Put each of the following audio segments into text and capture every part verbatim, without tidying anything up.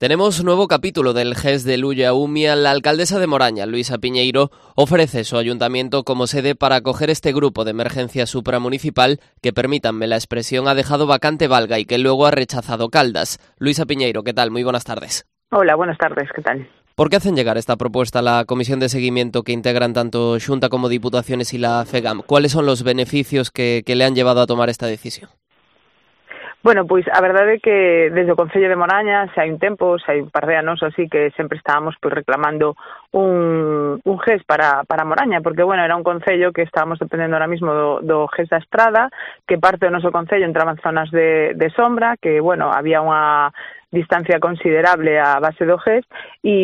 Tenemos nuevo capítulo del G E S de Lulla Umia. La alcaldesa de Moraña, Luisa Piñeiro, ofrece su ayuntamiento como sede para acoger este grupo de emergencia supramunicipal que, permítanme la expresión, ha dejado vacante Valga y que luego ha rechazado Caldas. Luisa Piñeiro, ¿qué tal? Muy buenas tardes. Hola, buenas tardes, ¿qué tal? ¿Por qué hacen llegar esta propuesta a la comisión de seguimiento que integran tanto Xunta como Diputaciones y la FEGAM? ¿Cuáles son los beneficios que, que le han llevado a tomar esta decisión? Bueno, pois a verdade é que desde o Concello de Moraña xa hai un tempo, xa hai un par de anos así que sempre estábamos pois reclamando un, un G E S para, para Moraña, porque bueno, era un concello que estábamos dependendo ahora mismo do, do G E S da Estrada, que parte do noso concello entraba en zonas de, de sombra, que bueno, había unha distancia considerable a base do G E S e,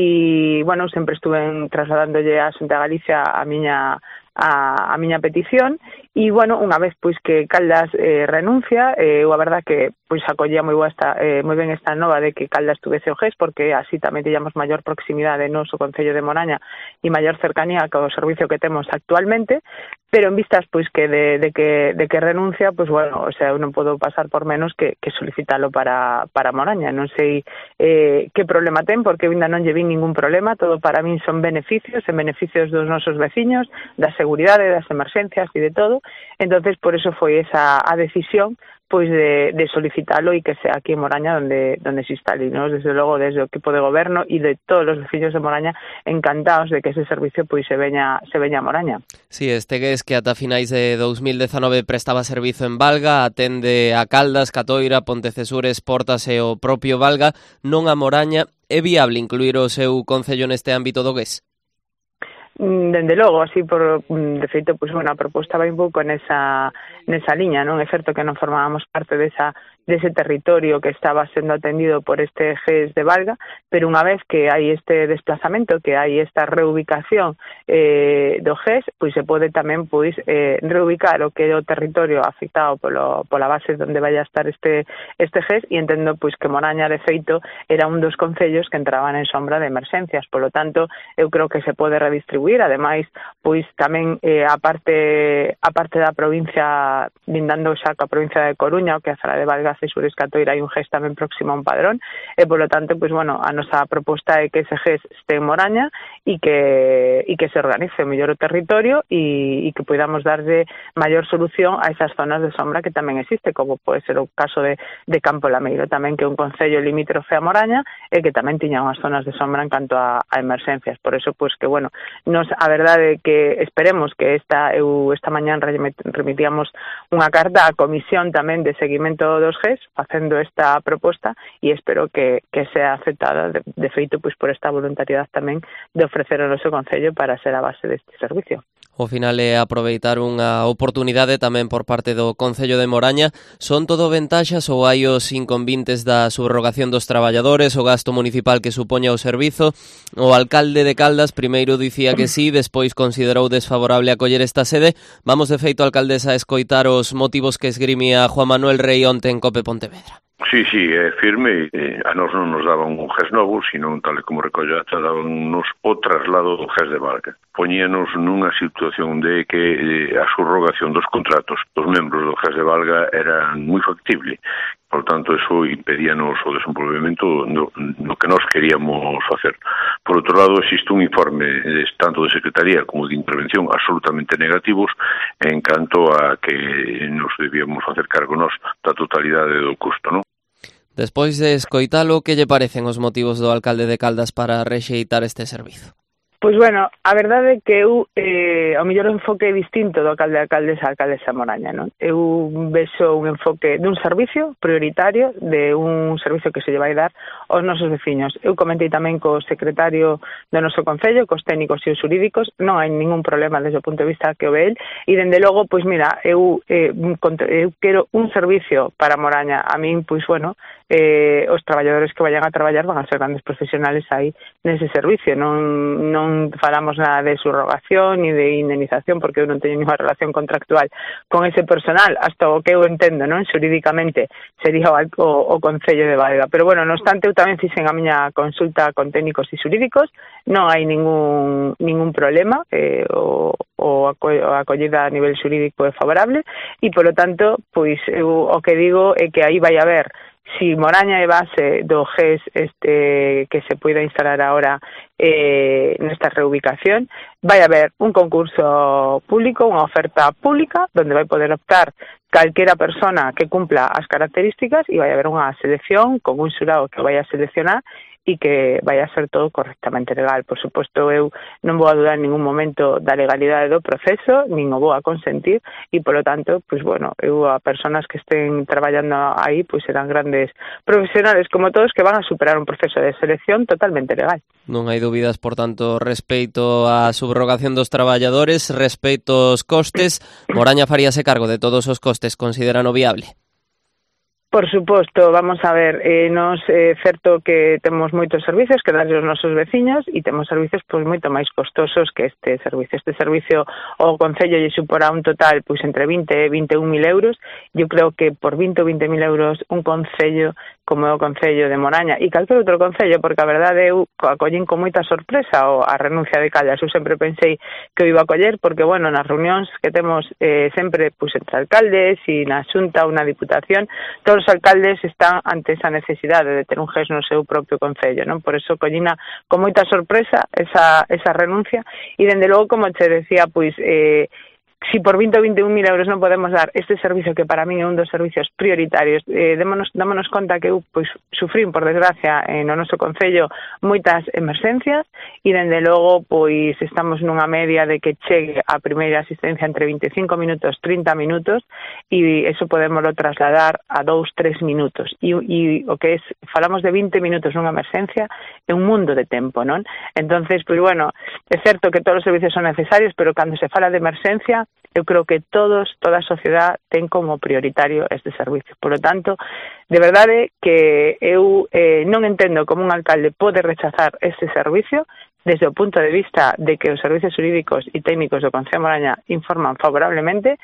bueno, sempre estuve trasladándolle a Xunta de Galicia a miña a, a miña petición e, bueno, unha vez pois que Caldas eh, renuncia, eh, eu a verdad que pois acollía moi boa esta, eh, moi ben esta nova de que Caldas tuvese o G E S, porque así tamén teñamos maior proximidade no noso Concello de Moraña e maior cercanía co servicio que temos actualmente, pero en vistas pois que de, de que de que renuncia, pois bueno, o sea, eu non podo pasar por menos que, que solicitalo para, para Moraña. Non sei eh, que problema ten, porque eu ainda non lle vi ningún problema, todo para min son beneficios, en beneficios dos nosos veciños, da seguridade, das emerxencias e de todo. Entonces, por eso foi esa a decisión pois de, de solicitalo e que sea aquí en Moraña donde, donde se instale, ¿no? Desde logo, desde o equipo de goberno e de todos os veciños de Moraña encantados de que ese servicio pois se veña, se veña a Moraña. Sí, este G E S que ata finais de dous mil dezanove prestaba servizo en Valga, atende a Caldas, Catoira, Pontecesures, Portas e o propio Valga, non a Moraña. É viable incluir o seu concello neste ámbito do G E S? Dende logo, así por de feito, pois bueno, a proposta vai un pouco nesa nesa liña, non é certo que non formábamos parte desa dese territorio que estaba sendo atendido por este G E S de Valga, pero unha vez que hai este desplazamento, que hai esta reubicación eh, do G E S, pois se pode tamén pois eh, reubicar o que é o territorio afectado polo, pola base onde vai a estar este este G E S, e entendo pois que Moraña de feito era un dos concellos que entraban en sombra de emerxencias, polo tanto eu creo que se pode redistribuir, ademais pois tamén eh, a parte a parte da provincia, lindando xa coa provincia de Coruña, o que a Zara de Valga, Cesures, Catoira, hai un G E S tamén próximo a un padrón, e polo tanto, pois bueno, a nosa proposta é que ese G E S este en Moraña e que e que se organice mellor o territorio e, e que podamos darlle maior solución a esas zonas de sombra que tamén existe, como pode ser o caso de, de Campo Lameiro, tamén que é un concello limítrofe a Moraña e que tamén tiña unhas zonas de sombra en canto a, a emerxencias. Por eso, pois que, bueno, nos, a verdade é que esperemos que esta, eu esta mañán remitíamos unha carta á comisión tamén de seguimento dos G E S facendo esta proposta e espero que, que sea aceptada de, de feito pois por esta voluntariedade tamén de ofrecer o noso concello para ser a base deste servicio. O final é aproveitar unha oportunidade tamén por parte do Concello de Moraña. Son todo ventaxas ou hai os inconvintes da subrogación dos traballadores, o gasto municipal que supoña o servizo? O alcalde de Caldas primeiro dicía que sí, despois considerou desfavorable acoller esta sede. Vamos de feito, alcaldesa, a escoitar os motivos que esgrimía Juan Manuel Rei onte en Cope Pontevedra. Sí, sí, é firme. Eh, a nos non nos daban un G E S novo, sino tal como recolló ata, daban-nos o traslado do G E S de Valga. Poñíanos nunha situación de que eh, a subrogación dos contratos dos membros do G E S de Valga era moi factible. Por tanto, eso impedíanos o desenvolvemento no, no que nós queríamos facer. Por outro lado, existe un informe eh, tanto de Secretaría como de Intervención absolutamente negativos en canto a que nos debíamos facer cargo nós da totalidade do custo, non? Despois de escoitalo, que lle parecen os motivos do alcalde de Caldas para rexeitar este servizo? Pois bueno, a verdade é que eu eh, ao mellor enfoque distinto do alcalde de Caldes a alcaldesa Moraña, non? Eu vexo un enfoque dun servicio prioritario, de un servicio que se lle vai dar aos nosos veciños. Eu comentei tamén co secretario do noso concello, cos técnicos e os xurídicos, non hai ningún problema desde o punto de vista que o ve el, e dende logo, pois mira, eu, eh, eu quero un servicio para Moraña. A min, pois bueno, eh, os traballadores que vayan a traballar van a ser grandes profesionales aí nese servicio, non, non falamos nada de subrogación ni de indemnización, porque eu non teño ninguna relación contractual con ese personal, hasta o que eu entendo, non, xurídicamente sería o, o, o Concello de Valga. Pero bueno, non obstante, eu tamén fixen a miña consulta con técnicos e xurídicos, non hai ningún ningún problema, eh, o, o a acollida a nivel xurídico é favorable, e polo tanto, pois eu o que digo é que aí vai haber si Moraña é base do G E S este que se poida instalar ahora eh, nesta reubicación, vai haber un concurso público, unha oferta pública, donde vai poder optar calquera persona que cumpla as características e vai haber unha selección con un xurado que vai a seleccionar e que vai a ser todo correctamente legal. Por suposto, eu non vou a dudar en ningún momento da legalidade do proceso, nin o vou a consentir, e, polo tanto, pois, bueno, eu a personas que estén traballando aí, pois, serán grandes profesionales, como todos, que van a superar un proceso de selección totalmente legal. Non hai dúbidas, por tanto, respecto á subrogación dos traballadores, respecto aos costes, Moraña faríase cargo de todos os costes, consideran o viable? Por suposto, vamos a ver, eh, nos é eh, certo que temos moitos servicios que darlle aos nosos veciños e temos servicios pois moito máis costosos que este servicio. Este servicio o Concello lle suporá un total pois entre vinte e vinte e un mil euros. Eu creo que por vinte ou vinte mil euros un Concello como é o Concello de Moraña e calquer outro Concello, porque a verdade eu acollín con moita sorpresa o a renuncia de Caldas. Eu sempre pensei que o iba a coller porque, bueno, nas reunións que temos eh, sempre pois entre alcaldes e na Xunta ou na Diputación, todos os alcaldes están ante esa necesidade de ter un G E S no seu propio Concello, non? Por eso collina con moita sorpresa esa, esa renuncia e, dende logo, como che decía, pois eh, si por vinte ou vinte e un mil euros non podemos dar este servicio que para min é un dos servicios prioritarios, eh, démonos, dámonos conta que eu pois, sufrín, por desgracia, eh, no noso Concello moitas emerxencias e, dende logo, pois estamos nunha media de que chegue a primeira asistencia entre vinte e cinco minutos, trinta minutos e eso podémoslo trasladar a dous, tres minutos e, e o que es, falamos de vinte minutos nunha emerxencia, é un mundo de tempo, non? Entonces, pois bueno, é certo que todos os servicios son necesarios, pero cando se fala de emerxencia, eu creo que todos, toda a sociedade ten como prioritario este servicio. Por lo tanto, de verdade que eu eh, non entendo como un alcalde pode rechazar este servicio desde o punto de vista de que os servicios jurídicos e técnicos do Concello de Moraña informan favorablemente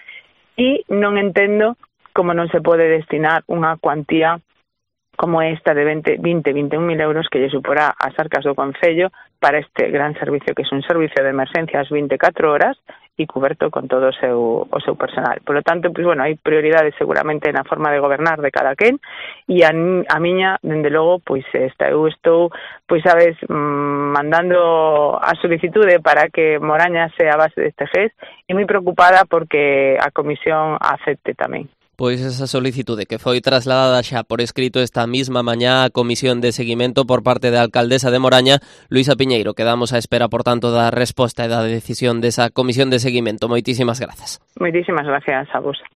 e non entendo como non se pode destinar unha cuantía como esta de vinte, vinte, vinte e un mil euros que lle suporá as arcas do Concello para este gran servicio que é un servicio de emerxencias vinte e catro horas e cuberto con todo o seu, o seu personal. Por lo tanto, pois, bueno, hai prioridades seguramente na forma de gobernar de cada quen e a, a miña, dende logo, pois esta, eu estou, pois sabes, mandando a solicitude para que Moraña sea a base deste G E S e moi preocupada porque a Comisión acepte tamén. Pois esa solicitude que foi trasladada xa por escrito esta mesma mañá á Comisión de Seguimento por parte da alcaldesa de Moraña, Luisa Piñeiro. Quedamos á espera, por tanto, da resposta e da decisión desa Comisión de Seguimento. Moitísimas grazas. Moitísimas gracias a vos.